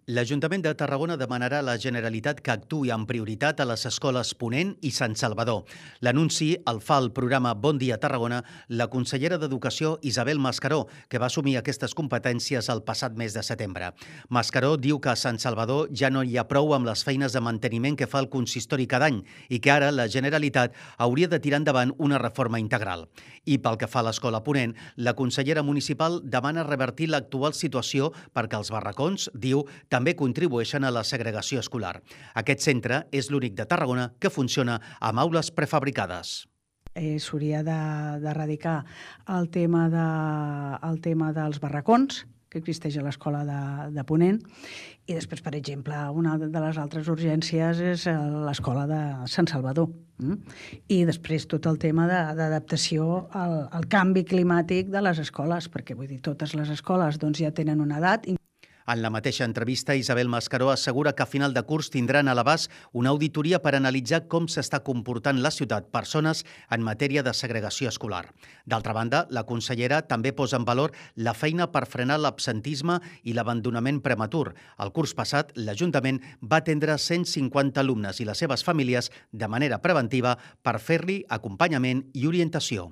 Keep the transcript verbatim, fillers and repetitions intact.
L'Ajuntament de Tarragona demanarà a la Generalitat que actuï amb prioritat a les escoles Ponent i Sant Salvador. L'anunci el fa el programa Bon Dia Tarragona la consellera d'Educació Isabel Mascaró, que va assumir aquestes competències el passat mes de setembre. Mascaró diu que a Sant Salvador ja no hi ha prou amb les feines de manteniment que fa el consistori cada any i que ara la Generalitat hauria de tirar endavant una reforma integral. I pel que fa a l'escola Ponent, la consellera municipal demana revertir l'actual situació perquè els barracons, diu, també contribueixen a la segregació escolar. Aquest centre és l'únic de Tarragona que funciona amb aules prefabricades. Eh, S'hauria d'erradicar el, tema de, el tema dels barracons, que existeix a l'escola de, de Ponent, i després, per exemple, una de les altres urgències és l'escola de Sant Salvador. Mm? I després tot el tema d'adaptació al, al canvi climàtic de les escoles, perquè vull dir, totes les escoles doncs, ja tenen una edat. En la mateixa entrevista, Isabel Mascaró assegura que a final de curs tindran a l'abast una auditoria per analitzar com s'està comportant la ciutat persones en matèria de segregació escolar. D'altra banda, la consellera també posa en valor la feina per frenar l'absentisme i l'abandonament prematur. El curs passat, l'Ajuntament va atendre cent cinquanta alumnes i les seves famílies de manera preventiva per fer-li acompanyament i orientació.